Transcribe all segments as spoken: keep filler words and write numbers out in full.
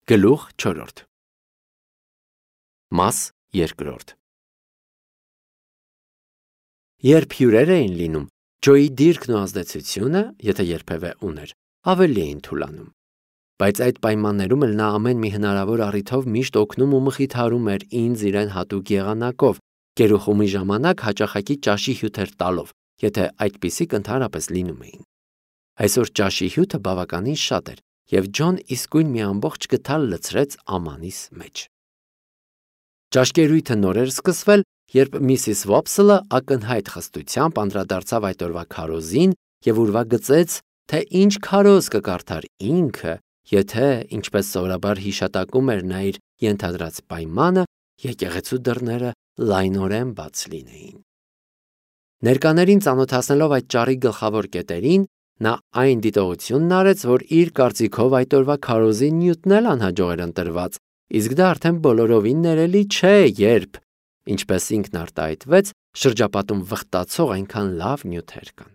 Գլուխ չորրորդ Մաս երկրորդ Երբ հյուրեր էին լինում, Ջոյի դիրքն ու ազդեցությունը, եթե երբևէ ուներ, ավելի էին թուլանում։ Բայց այդ պայմաններում էլ նա ամեն մի հնարավոր առիթով միշտ օգնում ու մխիթարում էր ինձ իրեն հատուկ եղանակով, գերուխումի ժամանակ հաճախակի ճաշի հյութեր տալով, եթե այդպիսիք ընդհանրապես լինում էին։ Այսօր ճաշի հյութը բավականին շատ էր, և Ջոն իսկույն մի ամբողջ գդալ լցրեց ամանիս մեջ։ Ճաշկերույթը նոր էր սկսվել, երբ միսիս Վոփսլը ակնհայտ խստությամբ անդրադարձավ այդ օրվա քարոզին և ուրվագծեց, թե ինչ քարոզ կկարդար ինքը, եթե, ինչպես սովորաբար հիշատակում էր նա իր ենթադրած պայմանը, եկեղեցու դռները լայնորեն բաց լինեին։ Ներկաներին ծանոթացնելով այդ ճառի գլխավոր կետերին, նա այն դիտողությունն արեց, որ իր կարծիքով այդ օրվա քարոզի նյութն էլ անհաջող էր ընտրված, իսկ դա արդեն բոլորովին ներելի չէ, երբ, ինչպես ինքն արտահայտվեց, շրջապատում վխտացող այնքան լավ նյութեր կան։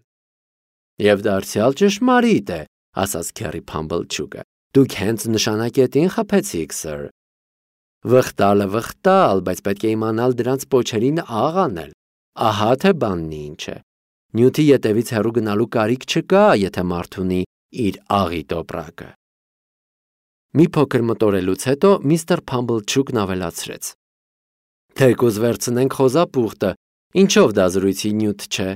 Եվ դարձյալ ճշմարիտ է, ասաց Քերի Փամբլչուկը, դուք հենց նշանակետին խփեցիք, սըր։ Վխտալը վխտալ, բայց պետք է իմանալ դրանց պոչերին աղ անել, ահա թե բանն ինչ է։ Նյութի ետևից հեռու գնալու կարիք չկա, եթե մարդ ունի իր աղի տոպրակը։ Մի փոքր մտորելուց հետո միստր Փամբլչուկն ավելացրեց. Թեկուզ վերցնենք խոզապուխտը, ինչով դա զրույցի նյութ չէ։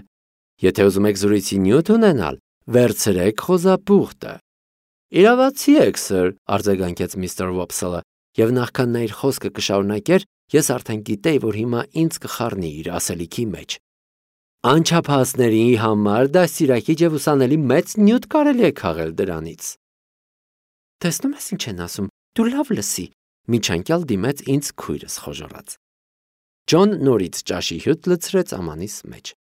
Եթե ուզում եք զրույցի նյութ ունենալ, վերցրեք խոզապուխտը։ Իրավացի եք, սըր, արձագանքեց միստր Վոփսլը, և նախքան նա իր խոսքը կշարունակեր, ես արդեն գիտեի, որ հիմա ինձ կխառնի իր ասելիքի մեջ։ Անչափահասների համար դաստիարակիչ և ուսանելի մեծ նյութ կարելի է քաղել դրանից։ Տեսնում ես ինչ են ասում, դու լավ լսի, միջանկյալ դիմեց ինձ քույրս խոժոռաց։ Ջոն նորից ճաշի հյութ լցրեց ամանիս մեջ։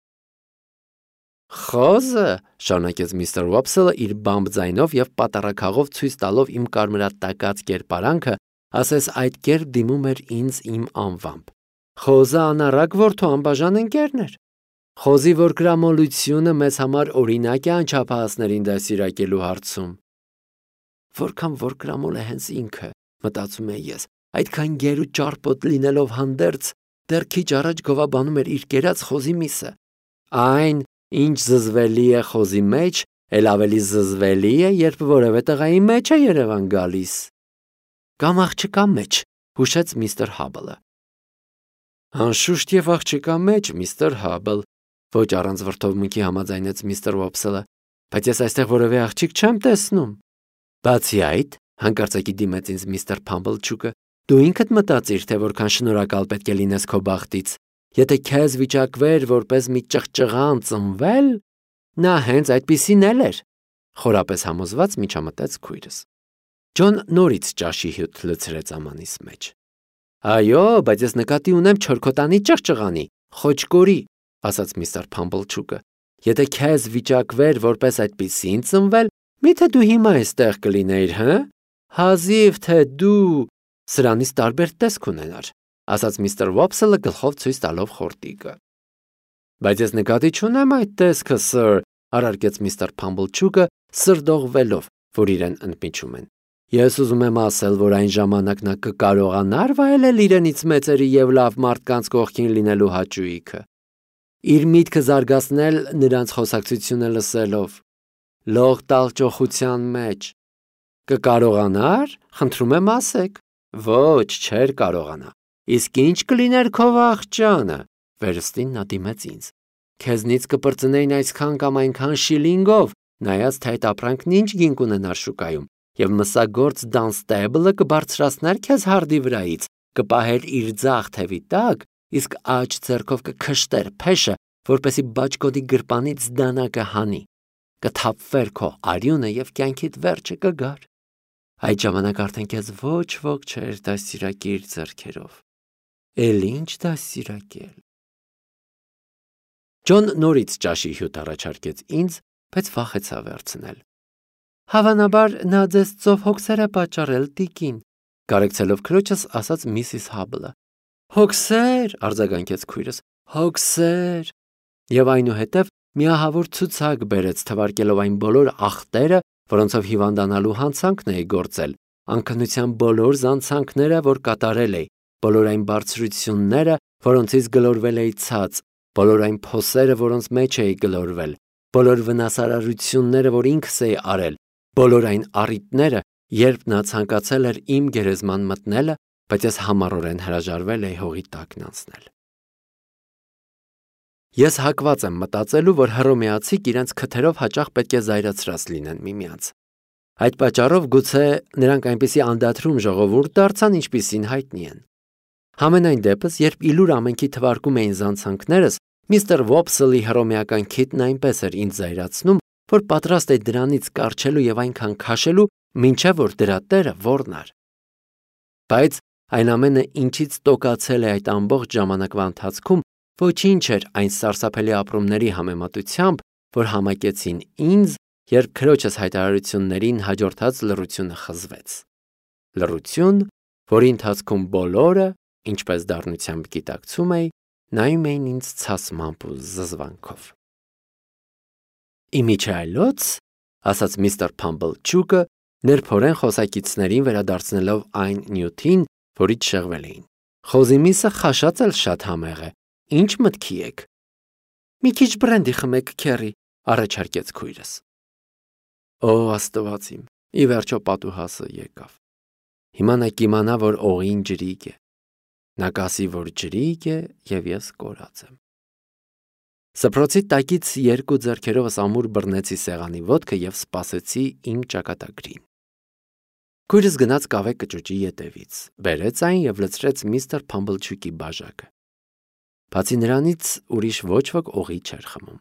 Խոզը, շարունակեց միստր Վոփսլը իր բամբ ձայնով և պատառաքաղով ցույց տալով իմ կարմրատակած կերպարանքը, ասես այդ կերպ դիմում էր ինձ իմ անվամբ։ Խոզը անառակ որդու անբաժան ընկերն էր։ Խոզի որկրամոլությունը մեզ համար օրինակ է անչափահասներին դաստիարակելու հարցում։ Որքան որկրամոլ է հենց ինքը, մտածում եմ ես, այդքան գեր ու ճարպոտ լինելով հանդերձ, դեռ քիչ առաջ գովաբանում էր իր կերած խոզի միսը։ Այն, ինչ զզվելի է խոզի մեջ, էլ ավելի զզվելի է, երբ որևէ տղայի մեջ է երևան գալիս։ Կամ աղջկա մեջ, հուշեց միստր Հաբլը։ Անշուշտ և աղջկա մեջ, միստր Հաբլ, ոչ առանց վրդովմունքի համաձայնեց միստր Վոփսլը, բայց ես այստեղ որևէ աղջիկ չեմ տեսնում։ Բացի այդ, հանկարծակի դիմեց ինձ միստր Փամբլչուկը, դու ինքդ մտածիր, թե որքան շնորհակալ պետք է լինես քո բախտից։ Եթե քեզ վիճակվեր որպես մի ճղճղան ծնվել, նա հենց այդպիսին էլ էր, խորապես համոզված միջամտեց քույրս։ Ջոն նորից ճաշի հյութ լցրեց ամանիս մեջ։ Այո, բայց ես նկատի ունեմ չորքոտանի ճղճղանի, խոճկորի, ասաց միստր Փամբլչուկը։ Եթե քեզ վիճակվեր որպես այդպիսին ծնվել, միթե դու հիմա այստեղ կլինեիր, հը։ Հազիվ թե դու սրանից տարբեր տեսք ունենար, ասաց միստր Վոփսլը գլխով ցույց տալով խորտիկը։ Բայց ես նկատի չունեմ այդ տեսքը, սըր, առարկեց միստր Փամբլչուկը, սրդողվելով, որ իրեն ընդմիջում են։ Ես ուզում եմ ասել, որ այն ժամանակ նա կկարողանար վայելել իրենից մեծերի և լավ մարդկանց կողքին լինելու հաճույքը։ Իր միտքը զարգացնել նրանց խոսակցությունը լսելով, լող տալ ճոխության մեջ։ Կկարողանար, խնդրում եմ ասեք։ Ոչ, չէր կարողանա։ Իսկ ինչ կլիներ քո վախճանը, վերստին նա դիմեց ինձ։ Քեզնից կպրծնեին այսքան կամ այնքան շիլինգով, նայած թե այդ ապրանքն ինչ գինք ունենար շուկայում, և մսագործ Դանստեբլը կբարձրացներ քեզ հարդի վրայից, կպահեր իր ձախ թևի տակ, իսկ աջ ձեռքով կքշտեր փեշը, որպեսի բաճկոդի գրպանից դանակը հանի, կթափվեր քո արյունը և կյանքիդ վերջը կգար։ Այդ ժամանակ արդեն քեզ ոչ ոք չէր դաստիարակի իր ձեռքերով։ Էլ ինչ դաստիարակել։ Ջոն նորից ճաշի հյութ առաջարկեց ինձ, բայց վախեցավ վերցնել։ Հավանաբար նա ձեզ ծով հոգսեր է պատճառել, տիկին, կարեկցելով քրոջս ասաց միսիս Հաբլը։ Հոգսեր, արձագանքեց քույրս, հոգսեր։ Եվ այնուհետև միահավոր ցուցակ բերեց, թվարկելով այն բոլոր ախտերը, որոնցով հիվանդանալու հանցանքն էի գործել, անքնության բոլոր զանցանքները, որ կատարել էի, բոլոր այն բարձրությունները, որոնցից գլորվել էի ցած, բոլոր այն փոսերը, որոնց մեջ էի գլորվել, բոլոր վնասարարությունները, որ ինքս էի արել, բոլոր այն առիթները, երբ նա ցանկացել էր իմ գերեզման մտնելը, բայց ես համառորեն հրաժարվել էի հողի տակն անցնել։ Ես հակված եմ մտածելու, որ հռոմեացիք իրենց քթերով հաճախ պետք է զայրացրած լինեն միմյանց։ Այդ պատճառով գուցե նրանք այնպիսի անդադրում ժողովուրդ դարձան, ինչպիսին հայտնի են։ Համենայն դեպս, երբ իլուր ամենքի թվարկում էին զանցանքներս, միստր Վոփսլի հռոմեական քիթն այնպես էր ինձ զայրացնում, որ պատրաստ էի դրանից կառչելու եւ այնքան քաշելու, մինչև որ դրա տերը ոռնար։ Բայց այն ամենը, ինչից տոկացել է այդ ամբողջ ժամանակվա ընթացքում, ոչինչ էր այն սարսափելի ապրումների համեմատությամբ, որ համակեցին ինձ, երբ քրոջս հայտարարություններին հաջորդած լռությունը խզվեց։ Լռություն, որի ընթացքում բոլորը, ինչպես դառնությամբ գիտակցում էի, նայում էին ինձ ցասմամբ ու զզվանքով։ Իմիջայլոց, ասաց միստր Փամբլչուկը, ներփորեն խոսակիցներին վերադարձնելով այն նյութին, որից շեղվել էին։ Խոզի միսը խաշած էլ շատ համեղ է։ Ինչ մտքի եք։ Մի քիչ բրենդի խմեք, քերի, առաջարկեց քույրս։ Օ, Աստված իմ, ի վերջո պատուհասը եկավ։ Հիմա նա կիմանա, որ օղին ջրիկ է։ Նա կասի, որ ջրիկ է, եւ ես կորած եմ։ Սփռոցի տակից երկու ձեռքերովս ամուր բռնեցի սեղանի ոտքը եւ սպասեցի իմ ճակատագրին։ Քույրս գնաց կավե կճուճի ետևից, բերեց այն եւ լցրեց միստր Փամբլչուկի բաժակը։ Բացի նրանից ուրիշ ոչ ոք օղի չէր խմում։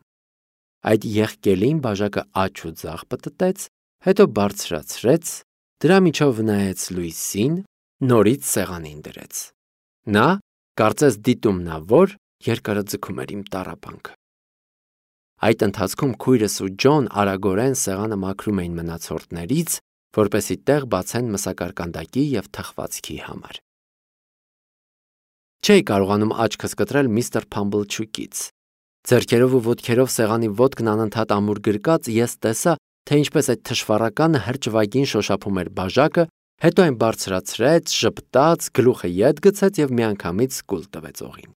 Այդ եղկելին բաժակը աջ ու ձախ պտտեց, հետո բարձրացրեց, դրա միջով նայեց լույսին, նորից սեղանին դրեց։ Նա, կարծես դիտումնավոր, երկարը ձգում էր իմ տառապանքը։ Այդ ընթացքում քույրս ու Ջոն արագորեն սեղանը մաքրում էին մնացորդներից, որպեսզի տեղ բացեն մսակարկանդակի եւ թխվածքի համար։ Չէի կարողանում աչքս կտրել միստր Փամբլչուկից։ Ձեռքերով ու ոտքերով սեղանի ոտքն անընդհատ ամուր գրկած, ես տեսա, թե ինչպես այդ թշվառականը հրճվագին շոշափում էր բաժակը, հետո այն բարձրացրեց, ժպտաց, գլուխը ետ գցեց եւ միանգամից սկուլ տվեց օղին։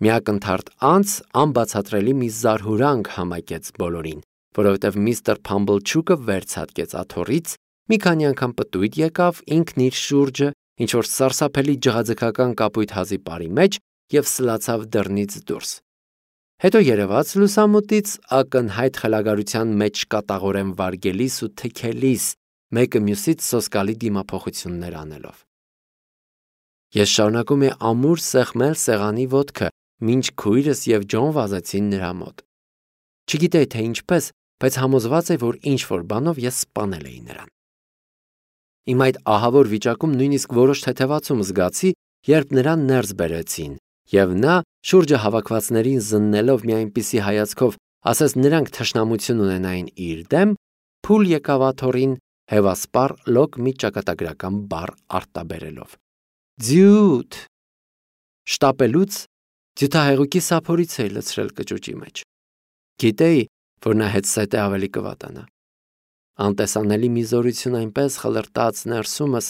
Մի ակնթարթ անց անբացատրելի մի զարհուրանք համակեց բոլորին, որովհետև միստր Փամբլչուկը վերցատկեց աթոռից, մի քանի անգամ պտույտ եկավ ինքն իր շուրջը, ինչ-որ սարսափելի ջղաձգական կապույտ հազի պարի մեջ եւ սլացավ դռնից դուրս։ Հետո երևաց լուսամուտից ակնհայտ խելագարության մեջ կատաղորեն վարգելիս ու թքելիս, մեկը մյուսից սոսկալի դիմափոխություններ անելով։ Ես շարունակում եմ ամուր սեղմել սեղանի ոտքը, մինչ քույրս եւ Ջոն վազեցին նրա մոտ։ Չգիտեի թե ինչպես, բայց համոզված եմ, որ ինչ-որ բանով ես սպանել էի նրան։ Իմ այդ ահավոր վիճակում նույնիսկ որոշ թեթևացում զգացի, երբ նրան ներս բերեցին, եւ նա, շուրջը հավաքվածներին զննելով մի այնպիսի հայացքով, ասես նրանք թշնամություն ունենային իր դեմ, փուլ եկավ աթոռին, հևասպառ լոկ մի ճակատագրական բառ արտաբերելով։ Ձյութ։ Շտապելուց ձյութահեղուկի սափորից էի լցրել կճուճի մեջ։ Գիտեի, որ նա հետսետ է ավելի կվատանա։ Անտեսանելի մի զորություն այնպես խլրտաց ներսումս,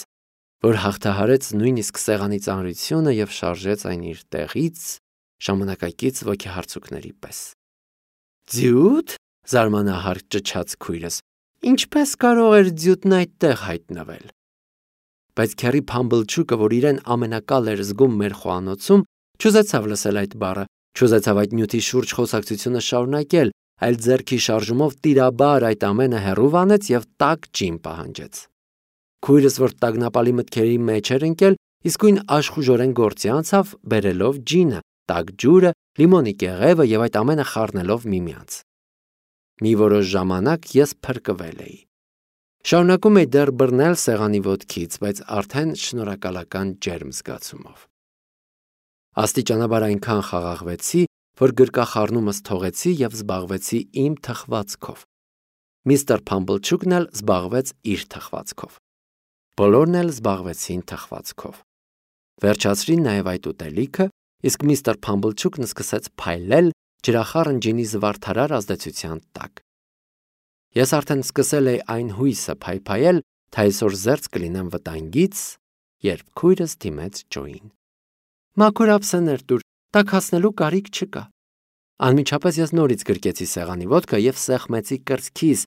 որ հաղթահարեց նույնիսկ սեղանի ծանրությունը եւ շարժեց այն իր տեղից ժամանակակից ոգեհարցուկների պես։ Ձյութ, զարմանահար ճչաց քույրս, ինչպես կարող էր ձյութն այդտեղ հայտնվել։ Բայց քերի Փամբլչուկը, որ իրեն ամենակալ էր զգում մեր խոհանոցում, չուզեցավ լսել այդ բառը, չուզեցավ այդ նյութի շուրջ խոսակցությունը շարունակել, այլ ձեռքի շարժումով տիրաբար այդ ամենը հեռու վանեց եւ տաք ջին պահանջեց։ Քույրս, որ տագնապալի մտքերի մեջ էր ընկել, իսկույն աշխուժորեն գործի անցավ, բերելով ջինը, տաք ջուրը, լիմոնի կեղևը եւ այդ ամենը խառնելով միմյանց։ Մի որոշ ժամանակ ես փրկվել էի։ Շարունակում էի դեռ բռնել սեղանի ոտքից, բայց արդեն շնորհակալական ջերմ զգացումով։ Աստիճանաբար այնքան խաղաղվեցի, որ գրկախառնումս թողեցի եւ զբաղվեցի իմ թխվածքով։ Միստր Փամբլչուկն էլ զբաղվեց իր թխվածքով։ Բոլորն էլ զբաղվեցին թխվածքով։ Վերջացրին նաեւ այդ ուտելիքը, իսկ միստր Փամբլչուկն սկսեց փայլել ջրախառն ջինի զվարթարար ազդեցության տակ։ Ես արդեն սկսել էի այն հույսը փայփայել, թե այսօր զերծ կլինեմ վտանգից, երբ քույրս դիմեց Ջոյին։ Մաքուր ափսեներ տուր, տաքացնելու կարիք չկա։ Անմիջապես ես նորից գրկեցի սեղանի ոտքը եւ սեղմեցի կրծքիս,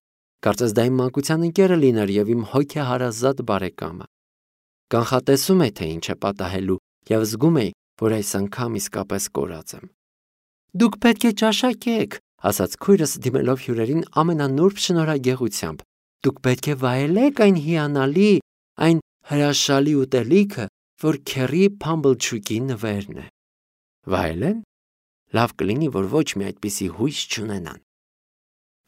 կարծես դա իմ մանկության ընկերը լիներ եւ իմ հոգեհարազատ բարեկամը։ Կանխատեսում էի, թե ինչ է պատահելու եւ զգում էի, որ այս անգամ իսկապես կորած եմ։ Դուք պետք է ճաշակեք, ասաց քույրս դիմելով հյուրերին ամենանուրբ շնորհագեղությամբ։ Դուք պետք է վայելեք այն հիանալի, այն հրաշալի ուտելիքը, որ Քերի Փամբլչուկի նվերն է։ Վայելեն։ Լավ կլինի, որ ոչ մի այդպիսի հույս չունենան։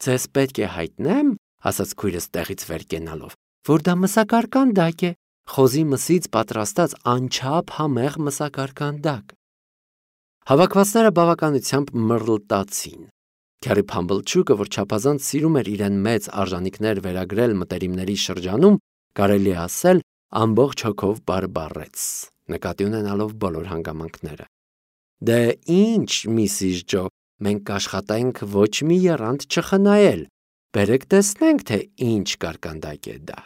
Ձեզ պետք է հայտնեմ, ասաց քույրս տեղից վեր կենալով, որ դա մսակարկանդակ է, խոզի մսից պատրաստած անչափ համեղ մսակարկանդակ։ Հավաքվածները բավականությամբ մռլտացին։ Քերի Փամբլչուկը, որ չափազանց սիրում էր իրեն մեծ արժանինքներ վերագրել մտերիմների շրջանում, կարելի է ասել, ամբողջ հոգով բարբառեց, նկատի ունենալով բոլոր հանգամանքները։ Դե ինչ, միսիս Ջո, մենք կաշխատենք ոչ մի եռանդ չխնայել, բերեք տեսնենք, թե ինչ կարկանդակ է դա։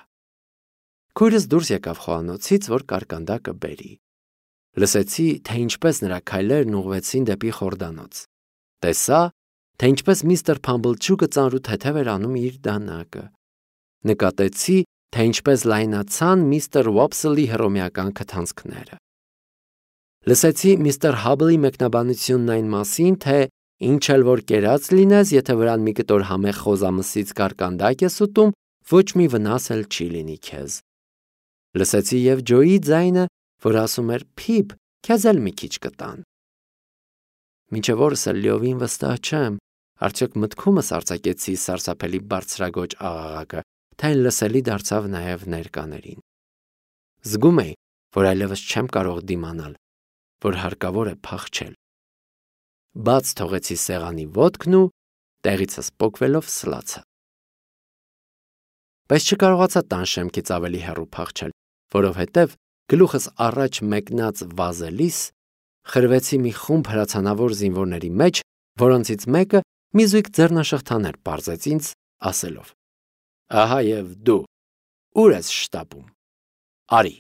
Քույրս դուրս եկավ խոհանոցից, որ կարկանդակը բերի։ Լսեցի, թե ինչպես նրա քայլերն ուղղվեցին դեպի խորդանոց։ Տեսա, թե ինչպես միստր Փամբլչուկը ծանրութեթև էր անում իր դանակը։ Նկատեցի, թե ինչպես լայնացան միստր Ուոփսլի հռոմեական քթանցքները։ Լսեցի միստր Հաբլի մեկնաբանությունն այն մասին, թե ինչ էլ որ կերած լինես, եթե վրան մի կտոր համեղ խոզամսից կարկանդակ ես ուտում, ոչ մի վնաս էլ չի լինի քեզ։ Լսեցի եւ Ջոյի ձայնը, որ ասում էր. «Փիփ, քեզ էլ մի քիչ կտան»։ Մինչև օրս էլ լիովին վստահ չեմ, արդյոք մտքումս արձակեցի սարսափելի բարձրագոճ աղաղակը, թե այն լսելի դարձավ նաև ներկաներին։ Զգում էի, որ այլևս չեմ կարող դիմանալ, որ հարկավոր է փախչել։ Բաց թողեցի սեղանի ոտքն ու տեղիցս պոկվելով սլացա։ Բայց չկարողացա տան շեմքից ավելի հեռու փախչել, որովհետև գլուխս առաջ մեկնած վազելիս խրվեցի մի խումբ հրացանավոր զինվորների մեջ, որոնցից մեկը մի զույգ ձեռնաշղթաներ պարզեց ինձ, ասելով. Ահա եւ դու, ուր ես շտապում։ Արի։